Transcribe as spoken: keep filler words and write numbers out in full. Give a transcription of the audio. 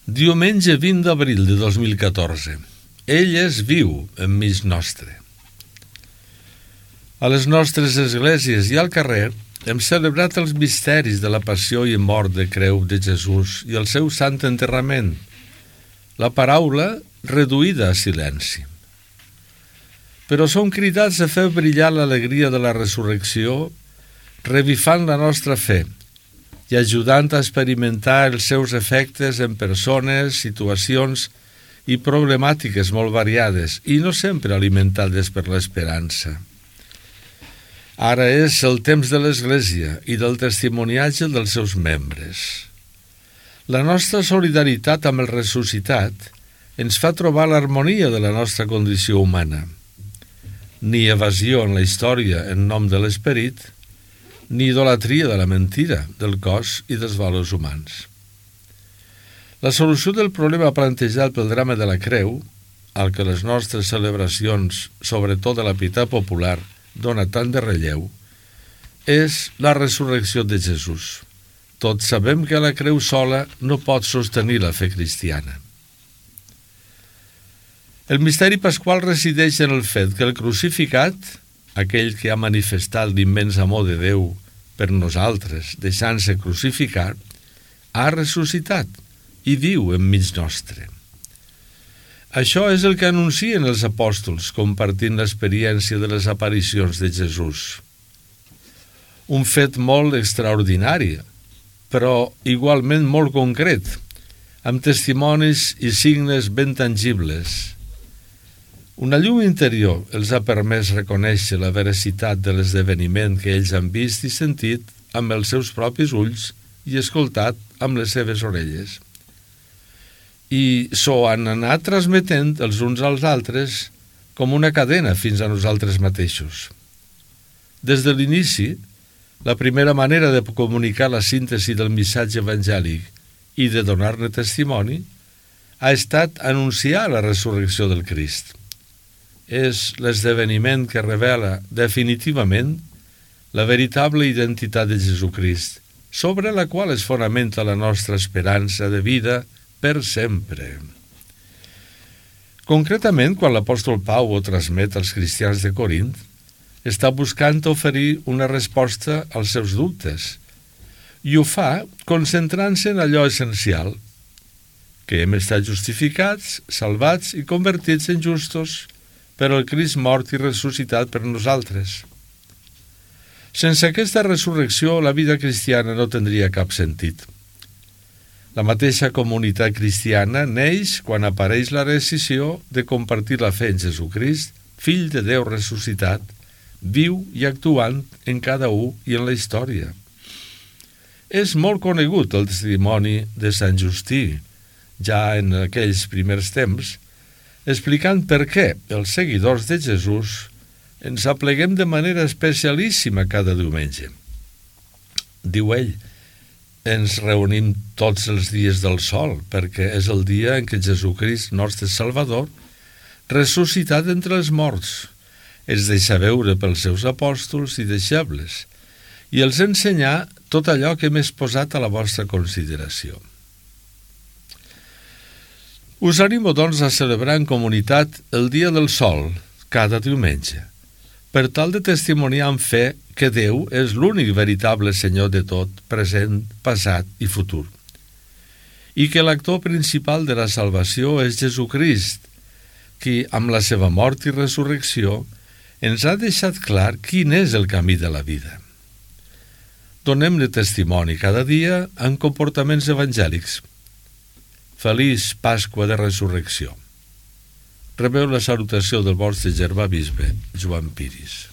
Diumenge vint d'abril de dos mil catorze. Ell és viu enmig nostre. A les nostres esglésies i al carrer hem celebrat els misteris de la passió i mort de creu de Jesús i el seu sant enterrament, la paraula reduïda a silenci. Però som cridats a fer brillar l'alegria de la resurrecció, revifant la nostra fe i ajudant a experimentar els seus efectes en persones, situacions i problemàtiques molt variades i no sempre alimentades per l'esperança. Ara és el temps de l'Església i del testimoniatge dels seus membres. La nostra solidaritat amb el ressuscitat ens fa trobar l'harmonia de la nostra condició humana. Ni evasió en la història en nom de l'esperit, ni idolatria de la mentira, del cos i dels valors humans. La solució del problema plantejat pel drama de la creu, al que les nostres celebracions, sobretot de la pietat popular, dona tant de relleu, és la resurrecció de Jesús. Tots sabem que la creu sola no pot sostenir la fe cristiana. El misteri pasqual resideix en el fet que el crucificat, aquell que ha manifestat l'immens amor de Déu per nosaltres, deixant-se crucificar, ha ressuscitat i viu enmig nostre. Això és el que anuncien els apòstols, compartint l'experiència de les aparicions de Jesús. Un fet molt extraordinari, però igualment molt concret, amb testimonis i signes ben tangibles. Una llum interior els ha permès reconèixer la veracitat de l'esdeveniment que ells han vist i sentit amb els seus propis ulls i escoltat amb les seves orelles. I s'ho han anat transmetent els uns als altres com una cadena fins a nosaltres mateixos. Des de l'inici, la primera manera de comunicar la síntesi del missatge evangèlic i de donar-ne testimoni ha estat anunciar la resurrecció del Crist. És l'esdeveniment que revela definitivament la veritable identitat de Jesucrist, sobre la qual es fonamenta la nostra esperança de vida per sempre. Concretament, quan l'apòstol Pau ho transmet als cristians de Corint, està buscant oferir una resposta als seus dubtes, i ho fa concentrant-se en allò essencial, que hem estat justificats, salvats i convertits en justos per el Crist mort i ressuscitat per nosaltres. Sense aquesta resurrecció, la vida cristiana no tindria cap sentit. La mateixa comunitat cristiana neix quan apareix la decisió de compartir la fe en Jesucrist, fill de Déu ressuscitat, viu i actuant en cada un i en la història. És molt conegut el testimoni de Sant Justí, ja en aquells primers temps, explicant per què els seguidors de Jesús ens apleguem de manera especialíssima cada diumenge. Diu ell, ens reunim tots els dies del sol, perquè és el dia en què Jesucrist, nostre Salvador, ressuscitat entre els morts, es deixa veure pels seus apòstols i deixebles, i els ensenyar tot allò que m'he posat a la vostra consideració. Us animo, doncs, a celebrar en comunitat el Dia del Sol, cada diumenge, per tal de testimoniar amb fe que Déu és l'únic veritable Senyor de tot, present, passat i futur, i que l'actor principal de la salvació és Jesucrist, qui, amb la seva mort i resurrecció, ens ha deixat clar quin és el camí de la vida. Donem-ne testimoni cada dia en comportaments evangèlics. Feliç Pasqua de Resurrecció. Rebeu la salutació del vostre germà bisbe, Joan Piris.